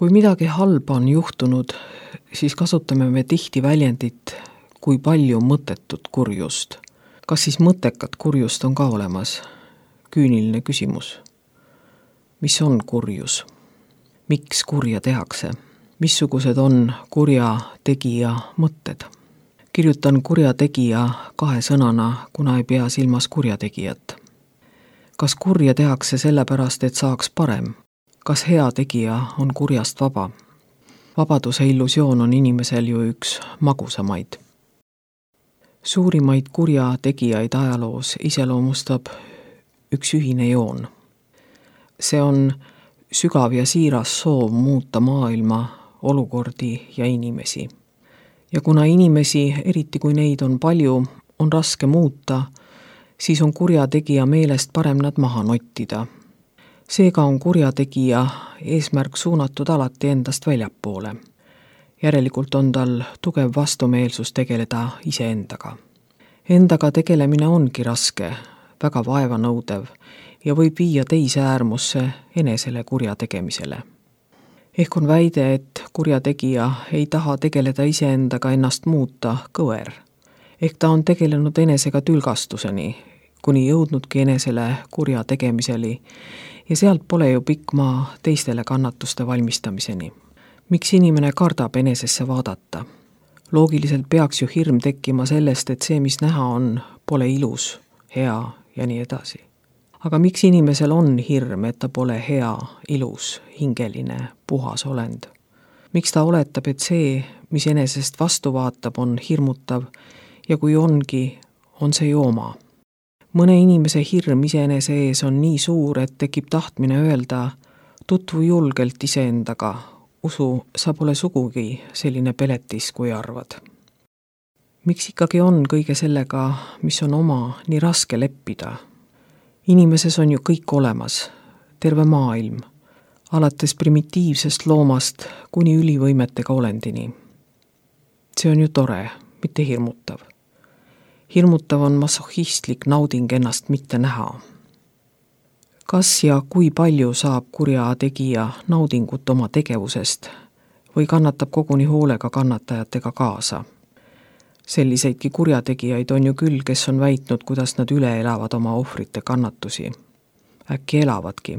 Kui midagi halba on juhtunud, siis kasutame me tihti väljendit, kui palju mõttetut kurjust. Kas siis mõttekat kurjust on ka olemas? Küüniline küsimus. Mis on kurjus? Miks kurja tehakse? Missugused on kurja tegija mõtted? Kirjutan kurja tegija 2 sõnana, kuna ei pea silmas kurjategijat. Kas kurja tehakse sellepärast, et saaks parem? Kas hea tegija on kurjast vaba? Vabaduse illusioon on inimesel ju üks magusamaid. Suurimaid kurja tegijaid ajaloos iseloomustab üks ühine joon. See on sügav ja siiras soov muuta maailma, olukordi ja inimesi. Ja kuna inimesi, eriti kui neid on palju, on raske muuta, siis on kurja tegija meelest parem nad maha nottida. Seega on kurjategija eesmärk suunatud alati endast väljapoole. Järelikult on tal tugev vastumeelsus tegeleda iseendaga. Endaga tegelemine ongi raske, väga vaevanõudev ja võib viia teise äärmusse enesele kurja tegemisele. Ehk on väide, et kurjategija ei taha tegeleda iseendaga ennast muuta kõver. Ehk ta on tegelenud enesega tülgastuseni, kuni jõudnudki enesele kurja tegemiseli ja sealt pole ju pikk maa teistele kannatuste valmistamiseni. Miks inimene kardab enesesse vaadata? Loogiliselt peaks ju hirm tekkima sellest, et see, mis näha on, pole ilus, hea ja nii edasi. Aga miks inimesel on hirm, et ta pole hea, ilus, hingeline, puhas olend? Miks ta oletab, et see, mis enesest vastu vaatab, on hirmutav ja kui ongi, on see ju oma? Mõne inimese hirm iseenese ees on nii suur, et tekib tahtmine öelda, tutvu julgelt iseendaga, usu, sa pole sugugi selline peletis, kui arvad. Miks ikkagi on kõige sellega, mis on oma, nii raske leppida? Inimeses on ju kõik olemas, terve maailm, alates primitiivsest loomast kuni ülivõimetega olendini. See on ju tore, mitte hirmutav. Hirmutav on masohhistlik nauding ennast mitte näha. Kas ja kui palju saab kurja tegija naudingut oma tegevusest või kannatab koguni hoolega kannatajatega kaasa? Selliseidki kurjategijaid on ju küll, kes on väitnud, kuidas nad üle elavad oma ohvrite kannatusi. Äkki elavadki,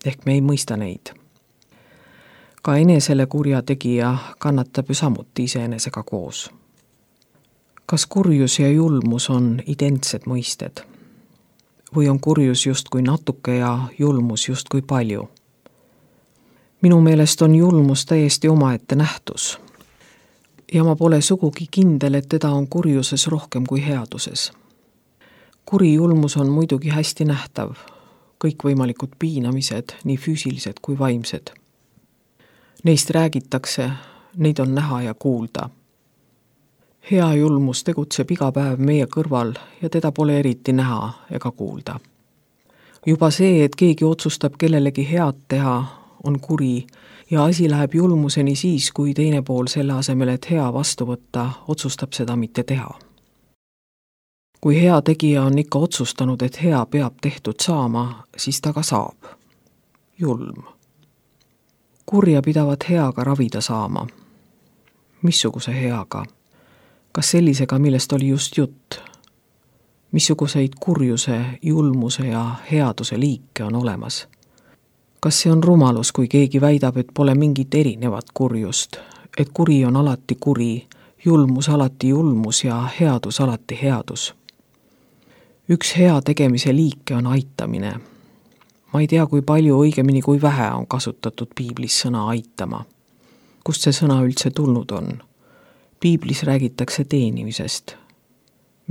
ehk me ei mõista neid. Ka enesele kurjategija kannatab ju samuti iseenesega koos. Kas kurjus ja julmus on identsed mõisted? Või on kurjus justkui natuke ja julmus justkui palju? Minu meelest on julmus täiesti omaette nähtus. Ja ma pole sugugi kindel, et teda on kurjuses rohkem kui headuses. Kuri julmus on muidugi hästi nähtav, kõikvõimalikud piinamised, nii füüsilised kui vaimsed. Neist räägitakse, neid on näha ja kuulda. Hea julmus tegutseb iga päev meie kõrval ja teda pole eriti näha ega kuulda. Juba see, et keegi otsustab kellelegi head teha, on kuri ja asi läheb julmuseni siis, kui teine pool selle asemel, et hea vastu võtta, otsustab seda mitte teha. Kui hea tegija on ikka otsustanud, et hea peab tehtud saama, siis ta ka saab. Julm. Kurja pidavat heaga ravida saama. Missuguse heaga? Kas sellisega, millest oli just jutt? Missuguseid kurjuse, julmuse ja headuse liike on olemas? Kas see on rumalus, kui keegi väidab, et pole mingit erinevat kurjust, et kuri on alati kuri, julmus alati julmus ja headus alati headus? Üks hea tegemise liike on aitamine. Ma ei tea, kui palju, õigemini kui vähe on kasutatud piiblis sõna aitama. Kust see sõna üldse tulnud on? Piiblis räägitakse teenimisest.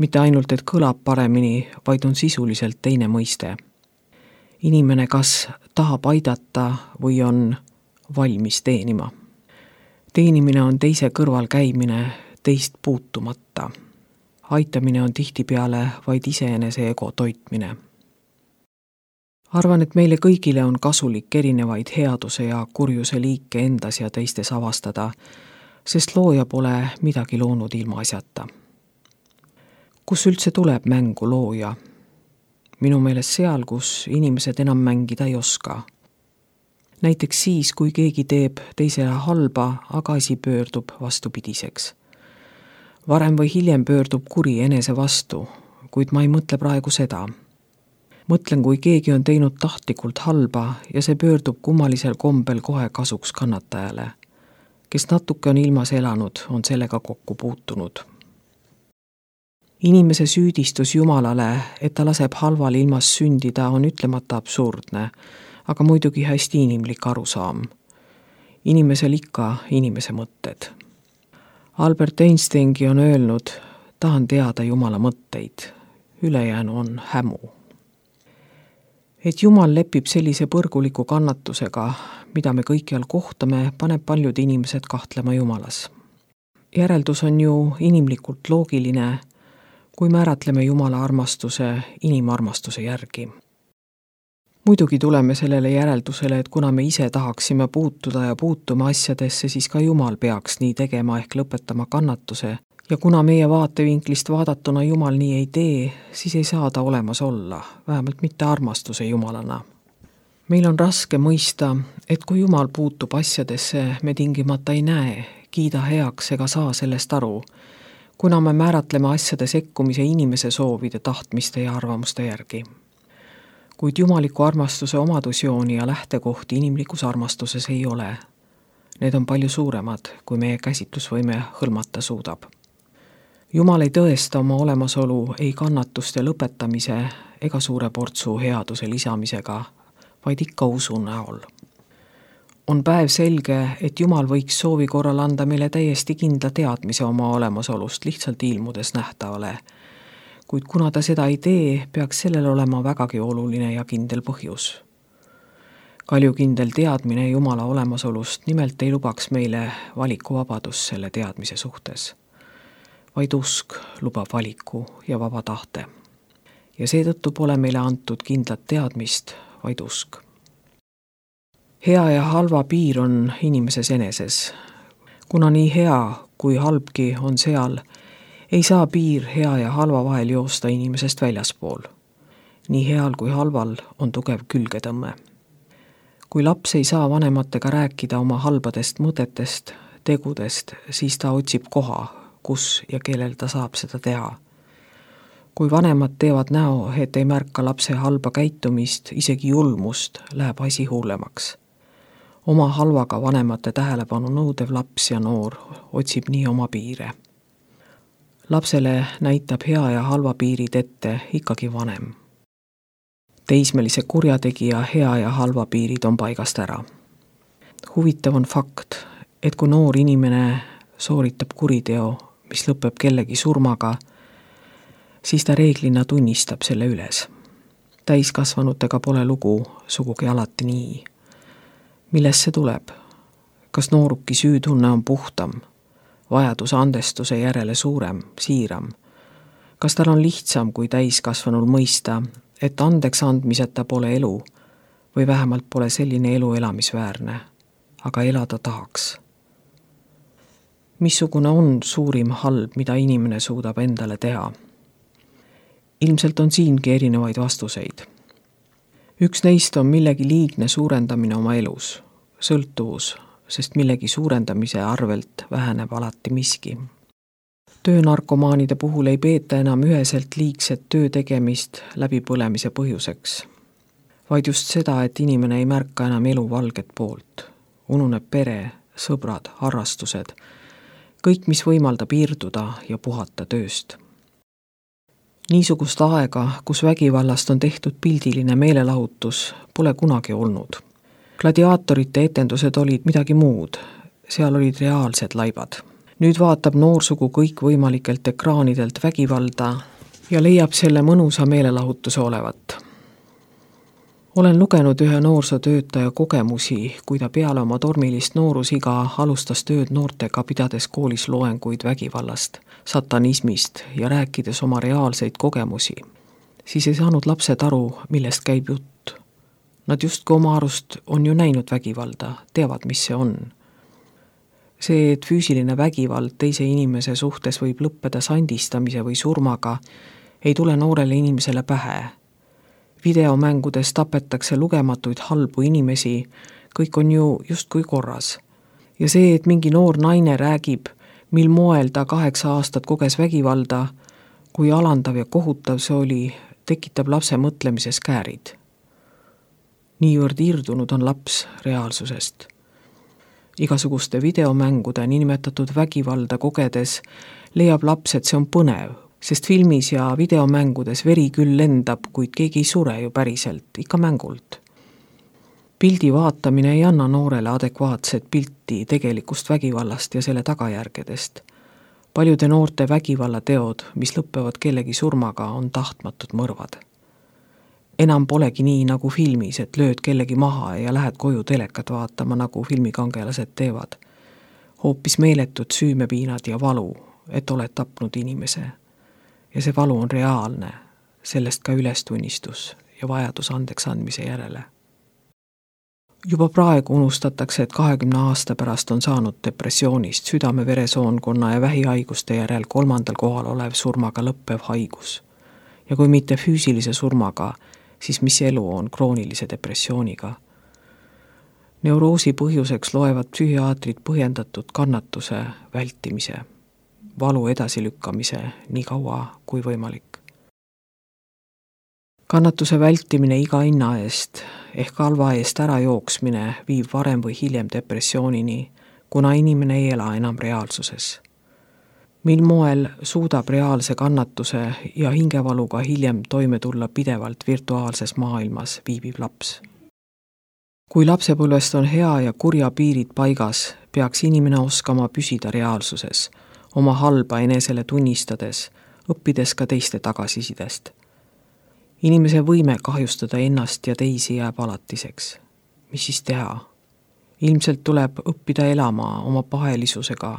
Mitte ainult, et kõlab paremini, vaid on sisuliselt teine mõiste. Inimene kas tahab aidata või on valmis teenima. Teenimine on teise kõrval käimine, teist puutumata. Aitamine on tihtipeale vaid iseenese ego toitmine. Arvan, et meile kõigile on kasulik erinevaid headuse ja kurjuse liike endas ja teistes avastada, sest looja pole midagi loonud ilma asjata. Kus üldse tuleb mängu looja? Minu meelest seal, kus inimesed enam mängida ei oska. Näiteks siis, kui keegi teeb teisele halba, aga asi pöördub vastupidiseks. Varem või hiljem pöördub kuri enese vastu, kuid ma ei mõtle praegu seda. Mõtlen, kui keegi on teinud tahtlikult halba ja see pöördub kummalisel kombel kohe kasuks kannatajale. Kes natuke on ilmas elanud, on sellega kokku puutunud. Inimese süüdistus Jumalale, et ta laseb halval ilmas sündida, on ütlemata absurdne, aga muidugi hästi inimlik arusaam. Inimesel ikka inimese mõtted. Albert Einsteingi on öelnud, tahan teada Jumala mõtteid, ülejäänu on hämu. Et Jumal lepib sellise põrguliku kannatusega, mida me kõikjal kohtame, paneb paljud inimesed kahtlema Jumalas. Järeldus on ju inimlikult loogiline, kui määratleme Jumala armastuse inimarmastuse järgi. Muidugi tuleme sellele järeldusele, et kuna me ise tahaksime puutuda ja puutuma asjadesse, siis ka Jumal peaks nii tegema ehk lõpetama kannatuse. Ja kuna meie vaatevinklist vaadatuna Jumal nii ei tee, siis ei saa ta olemas olla, vähemalt mitte armastuse Jumalana. Meil on raske mõista, et kui Jumal puutub asjadesse, me tingimata ei näe, kiida heaks ega saa sellest aru, kuna me määratleme asjade sekkumise inimese soovide, tahtmiste ja arvamuste järgi. Kuid jumaliku armastuse omadusjooni ja lähtekohti inimlikus armastuses ei ole. Need on palju suuremad, kui meie käsitlusvõime hõlmata suudab. Jumal ei tõesta oma olemasolu ei kannatuste lõpetamise ega suure portsu headuse lisamisega, vaid ikka usu näol. On päev selge, et Jumal võiks soovi korral anda meile täiesti kindla teadmise oma olemasolust lihtsalt ilmudes nähtavale, kuid kuna ta seda ei tee, peaks sellel olema vägagi oluline ja kindel põhjus. Kaljukindel teadmine Jumala olemasolust nimelt ei lubaks meile valikuvabadust selle teadmise suhtes, vaid usk lubab valiku ja vaba tahte. Ja seetõttu pole meile antud kindlat teadmist, vaid usk. Hea ja halva piir on inimeses eneses. Kuna nii hea kui halbki on seal, ei saa piir hea ja halva vahel joosta inimesest väljaspool. Nii heal kui halval on tugev külgetõmme. Kui laps ei saa vanematega rääkida oma halbadest mõtetest, tegudest, siis ta otsib koha, kus ja kellel ta saab seda teha. Kui vanemad teevad näo, et ei märka lapse halba käitumist, isegi julmust, läheb asi hullemaks. Oma halvaga vanemate tähelepanu nõudev laps ja noor otsib nii oma piire. Lapsele näitab hea ja halva piirid ette ikkagi vanem. Teismelise kurjategija hea ja halva piirid on paigast ära. Huvitav on fakt, et kui noor inimene sooritab kuriteo, mis lõpeb kellegi surmaga, siis ta reeglina tunnistab selle üles. Täiskasvanutega pole lugu sugugi alati nii. Millest see tuleb? Kas nooruki süütunne on puhtam? Vajadus andestuse järele suurem, siiram? Kas tal on lihtsam kui täiskasvanul mõista, et andeks andmiseta pole elu või vähemalt pole selline elu elamisväärne, aga elada tahaks? Missugune on suurim halb, mida inimene suudab endale teha? Ilmselt on siingi erinevaid vastuseid. Üks neist on millegi liigne suurendamine oma elus, sõltuvus, sest millegi suurendamise arvelt väheneb alati miski. Töönarkomaanide puhul ei peeta enam üheselt liigset töö tegemist läbipõlemise põhjuseks, vaid just seda, et inimene ei märka enam elu valget poolt. Ununeb pere, sõbrad, harrastused, kõik, mis võimaldab irduda ja puhata tööst. Niisugust aega, kus vägivallast on tehtud pildiline meelelahutus, pole kunagi olnud. Gladiaatorite etendused olid midagi muud, seal olid reaalsed laibad. Nüüd vaatab noorsugu kõikvõimalikelt ekraanidelt vägivalda ja leiab selle mõnusa meelelahutuse olevat. Olen lugenud ühe noorsootöötaja kogemusi, kui ta peale oma tormilist noorusiga alustas tööd noortega, pidades koolis loenguid vägivallast, satanismist ja rääkides oma reaalseid kogemusi. Siis ei saanud lapsed aru, millest käib jutt. Nad justkui oma arust on ju näinud vägivalda, teavad, mis see on. See, et füüsiline vägivald teise inimese suhtes võib lõppeda sandistamise või surmaga, ei tule noorele inimesele pähe. Videomängudes tapetakse lugematuid halbu inimesi, kõik on ju justkui korras. Ja see, et mingi noor naine räägib, mil moel ta 8 aastat koges vägivalda, kui alandav ja kohutav see oli, tekitab lapse mõtlemises käärid. Niivõrd irdunud on laps reaalsusest. Igasuguste videomängude niinimetatud vägivalda kogedes leiab laps, et see on põnev, sest filmis ja videomängudes veri küll lendab, kuid keegi ei sure ju päriselt, ikka mängult. Pildi vaatamine ei anna noorele adekvaatset pilti tegelikust vägivallast ja selle tagajärgedest. Paljude noorte vägivallateod, mis lõppevad kellegi surmaga, on tahtmatud mõrvad. Enam polegi nii nagu filmis, et lööd kellegi maha ja lähed koju telekat vaatama, nagu filmikangelased teevad. Hoopis meeletud süümepiinad ja valu, et oled tapnud inimese. Ja see valu on reaalne, sellest ka ülestunnistus ja vajadus andeks andmise järele. Juba praegu unustatakse, et 20 aasta pärast on saanud depressioonist südame-veresoonkonna ja vähihaiguste järel 3. kohal olev surmaga lõppev haigus. Ja kui mitte füüsilise surmaga, siis mis elu on kroonilise depressiooniga? Neuroosi põhjuseks loevad psühhiaatrid põhjendatud kannatuse vältimise, valu edasilükkamise nii kaua kui võimalik. Kannatuse vältimine iga hinna eest ehk halva eest ära jooksmine viib varem või hiljem depressioonini, kuna inimene ei ela enam reaalsuses. Mil moel suudab reaalse kannatuse ja hingevaluga hiljem toime tulla pidevalt virtuaalses maailmas viibib laps. Kui lapsepõlvest on hea ja kurja piirid paigas, peaks inimene oskama püsida reaalsuses, oma halba enesele tunnistades, õppides ka teiste tagasisidest. Inimese võime kahjustada ennast ja teisi jääb alatiseks. Mis siis teha? Ilmselt tuleb õppida elama oma pahelisusega,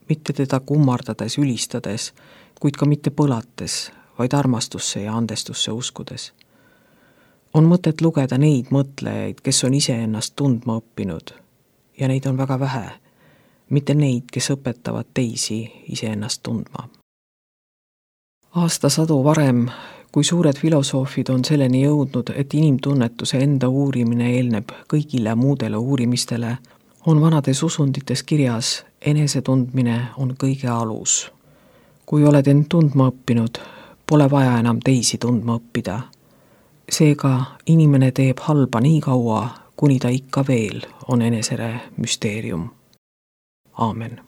mitte teda kummardades, ülistades, kuid ka mitte põlates, vaid armastusse ja andestusse uskudes. On mõtet lugeda neid mõtlejaid, kes on ise ennast tundma õppinud, ja neid on väga vähe, mitte neid, kes õpetavad teisi ise ennast tundma. Aastasadu varem, kui suured filosoofid on selleni jõudnud, et inimtunnetuse enda uurimine eelneb kõigile muudele uurimistele, on vanades usundites kirjas, enesetundmine on kõige alus. Kui oled end tundma õppinud, pole vaja enam teisi tundma õppida. Seega inimene teeb halba nii kaua, kuni ta ikka veel on enesele müsteerium. Aamen.